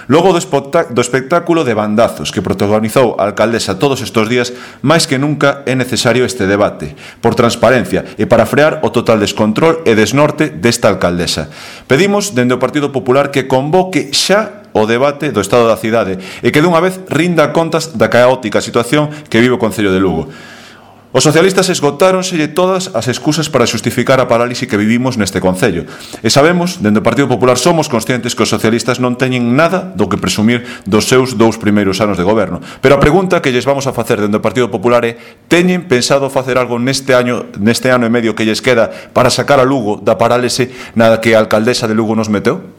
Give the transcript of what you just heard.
Logo do espectáculo de bandazos que protagonizou a alcaldesa todos estes días, máis que nunca é necesario este debate, por transparencia e para frear o total descontrol e desnorte desta alcaldesa. Pedimos, dende o Partido Popular, que convoque xa o debate do estado da cidade e que dunha vez rinda contas da caótica situación que vive o Concello de Lugo. Os socialistas esgotáronselle todas as excusas para xustificar a parálise que vivimos neste concello. E sabemos, dende o Partido Popular somos conscientes que os socialistas non teñen nada do que presumir dos seus 2 primeiros anos de goberno. Pero a pregunta que lles vamos a facer dende o Partido Popular é: teñen pensado facer algo neste ano e medio que lles queda para sacar a Lugo da parálise na que a alcaldesa de Lugo nos meteu?